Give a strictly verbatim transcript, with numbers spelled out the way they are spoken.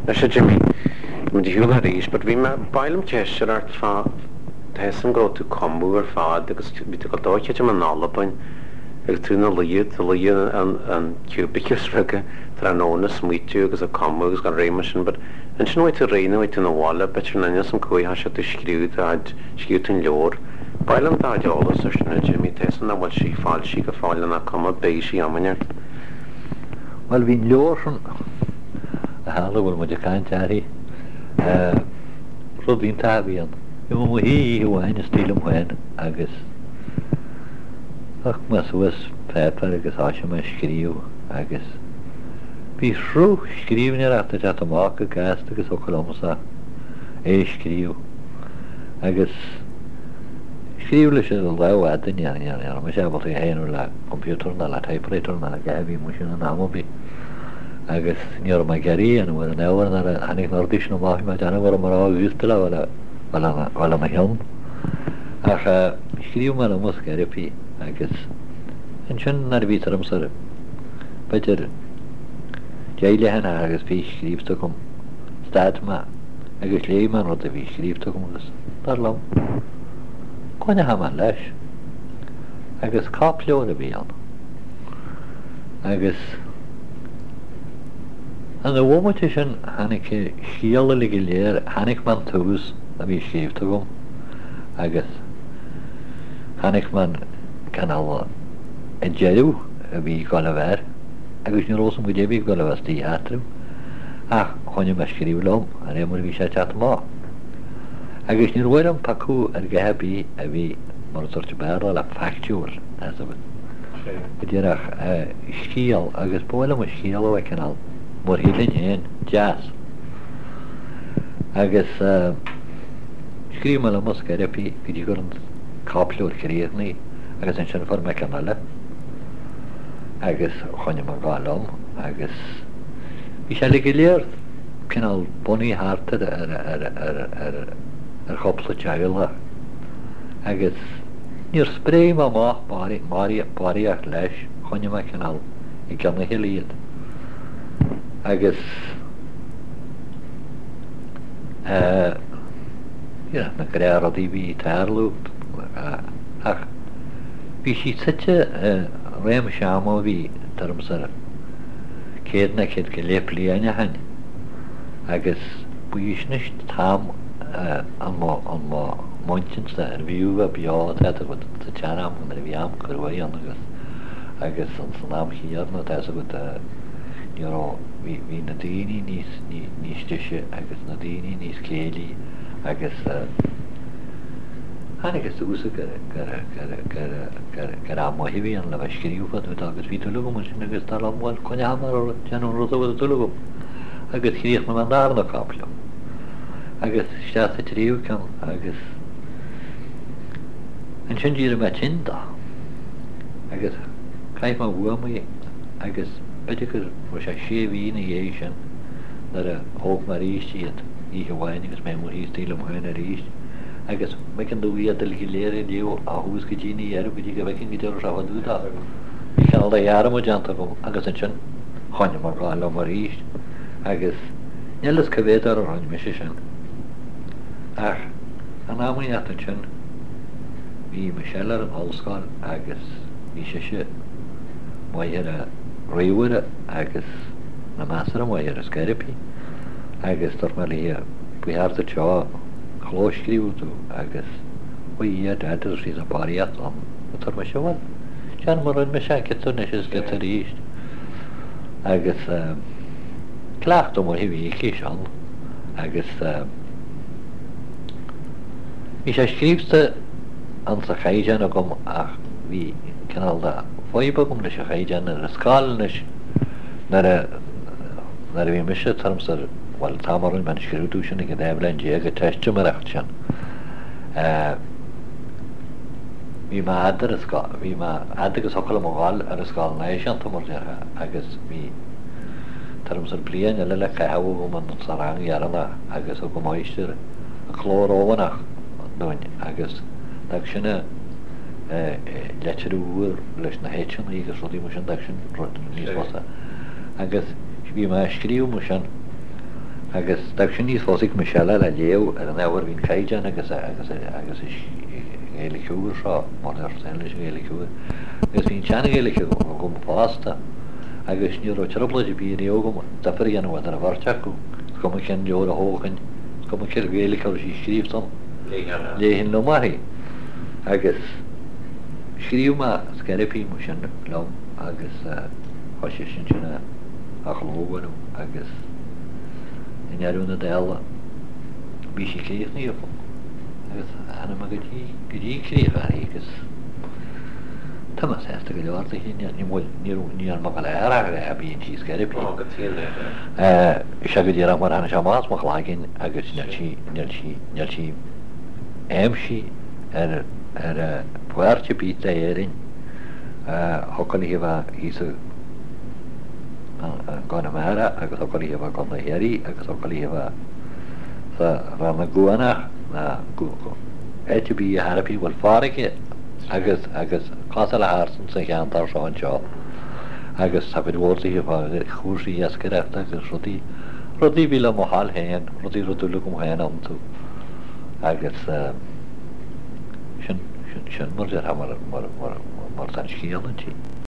Anois a Jimmy, muid ar shiúl arís, but bhí mé, ba mhaith liom ceist a chur ort fá, tá fhios agam go raibh tú ag cumadh ar fad agus bhí tú ag dul dóite in Albain agus tú ina luí, tú luí an an cubicle rige tráthnóna smaoitiú agus ag cumadh agus gan réim sin, but ansin bhí tú réidh nó bhí tú ina bhaile, b'fhéidir in ainneoin an cúig thoisigh tú scríobh do chuid, scríobh tú an leabhar. Ba mhaith liom do chuid eolas ar sin a Jimmy, tá fhios agam nach bhfuil sí foilsithe go fóill nach cuma beidh sí amainn ort. Bhuel bhí an leabhar sin a tharla go bhfuil muid ag caint uirthi, rud iontach a bhí ann. Bhí mé i mo shuí oíche amháin istigh liom féin agus thug mé suas páipéar agus thoisigh mé ag scríobh agus bhí sruth scríbhneoireachta ag teacht amach go gasta agus thiocfadh liomsa é a scríobh agus scríobh leis an lámh fhada ní ní raibh mise ábalta é a dhéanamh le computer ná le typewriter ná le a dhath a bhí amuigh sin in am ar bith agus ní raibh mé ag iarraidh a dhéanamh ar an ábhar nuair a tháinig na rudaí sin amach bhí mé ag déanamh go raibh mé ró-aosta le bheith le mo chionn. Ach scríobh mé liom os scairpí agus ansin nuair a bhí tuairim b'fhéidir deich leathanach agus fiche scríobhta agam, stad mé agus léigh mé an rud a bhí scríobhta agam agus dar liom, coinneoidh mé leis. Agus cóipleabhar a bhí ann. Agus an bhomaite sin tháinig scéal uilig go léir, tháinig mé an tús a bhí scríobhta agam agus tháinig mé an cineál an deireadh a bhí ag dul a bheith air agus ní raibh fhios agam goidé a bhí ag dul a bheith istigh eatarthu ach choinnigh mé ag scríobh liom de réir mar a bhí sé ag teacht amach. Agus níor mhaith liom piocadh ar dhath ar bith a bhí mar a dúirt Béarla le factual tá fhios agat. Go díreach scéal agus ba mhaith liom an scéal a bheith cineál mar shílfinn féin, deas. Agus scríobh mé liom os scairpí go dtí go raibh an cóipleabhar críochnaithe agus ansin fuair mé ceann eile agus choinnigh mé ag gabháil liom agus bhí sé uilig go léir cineál bunaithe thart ar ar ar ar ar ar chúpla teaghlach agus níor spréigh mé amach barraíocht leis, choinnigh mé cineál i gcionn a chéile iad agus eh you know na gnáthrudaí a bhí ag tarlú ach bhí sí suite i réimse ama a bhí tuairim is ar céad nó céad go leith bliain ó shin agus ba í sin an t-am an mo an mo m'intinnse ar bhfiú bheith beo tá fhios agat sa tsean-am nuair a bhí am cruaidh ann agus agus san am chéanna tá fhios agat ní raibh bhí bhí na daoine níos níos deise agus na daoine níos céillí agus tháinig suas gur gur gur gur gur gur am maith a bhí ann le bheith ag scríobh fá dtaobh de agus bhí dúil agam ansin agus dar liom bhuel coinneoidh mé ar déanamh an rud a bhfuil dúil agam agus chríochnaigh mé an darna cóipleabhar agus isteach sa tríú ceann agus ansin d'éirigh mé tinn dó agus chaith mé uaim é agus b'fhéidir go raibh sé sé mhí ina dhiaidh sin nuair a thóg mé arís iad oíche amháin agus mé amuigh thíos taobh liom féin arís agus b'éigean domh iad uilig go léir a léamh ó thús go dtí an deireadh go dtí go bhfeicfinn goidé a raibh sé fá dtaobh de. Bhí cineál de dhearmad déanta agam agus ansin choinnigh mé ag gabháil liom arís agus níl fhios cá mhéad uair a rinne mise sin. Ach in am inteacht ansin bhí Michelle ar an ollscoil agus bhí sise maith ar an ríomhaire agus na measartha maith ar an scairpí agus dúirt mé léi ba cheart duit seo a chlóscríobh tú agus ó a Dad a dúirt sí tá barraíocht ann. Dúirt mise bhuel déan mar a rinne mise giota anois is giota arís agus cleachtadh maith a bhí aici sin agus bhí sé scríobhta ansa chaighdeán agam ach bhí cineál de fadhb agam leis an chaighdeán ar an scoil anois nuair a nuair a bhí mise tuairim is ar bhuel an t-am a rinne mé an scrúdú sin ag an dá bhliain déag an teistiméireacht sin bhí mé fhad ar an scoil bhí mé fhad agus thiocfadh liom a ghabháil ar an scoil náisiúnta mar déarfá agus bhí tuairim is ar bliain eile le caitheamh agam sa rang dheireanach agus thug an máistir an cló Rómhánach dúinn agus d'fhág sin leitir úr leis na h-anna agus rudaí mar sin d'fhág sin rud níos fusa agus bhí mé ag scríobh mar sin Agus d'fhág sin níos thosaigh mise le léamh ar an ábhar bhí an caighdeán agus agus agus Gaeilge úr seo mar ar leis an Ghaeilge úr. Agus bhí an tsean-Ghaeilge agam fosta agus ní raibh trioblóid ar bith riamh agam difear a dhéanamh idir an bheirt acu. Is cuma cén leabhar a thógfainn, is cuma cén Ghaeilge a raibh sí scríofa ann. Léifinn liom uirthi. Agus scríobh mé scairpí sin liom agus thoisigh sin sin a chlóbhualadh agus i ndeireadh na dála bhí sí críochnaithe agam agus tháinig mé go dtí go dtí críoch uirthi agus tá mé sásta go leor léi ní ní bhfuil ní raibh ní raibh mé go léir ach a bhíonn sí scairpí. Ó, go tír Sé go díreach mar tháinig sé amach as mo chloigeann agus níl sí níl sí níl sí aimsithe ar ar pháirt ar bith d'Éirinn thiocfadh léi a bheith thíos i gConamara agus thiocfadh léi a bheith i gContae Chiarraí agus thiocfadh léi a bheith sa Rann na gCuanach ná áit ar bith a thairbhí bhfuil farraige agus agus cosúil le thart sa cheantar seo anseo agus tá cuid mhór daoithe fá chúrsaí iascaireachta agus rudaí rudaí a bhí le mo thoil féin, rudaí a raibh dúil agam féin iontu agus sin sin sin mar déarfá mar mar mar mar tá an scéal inti.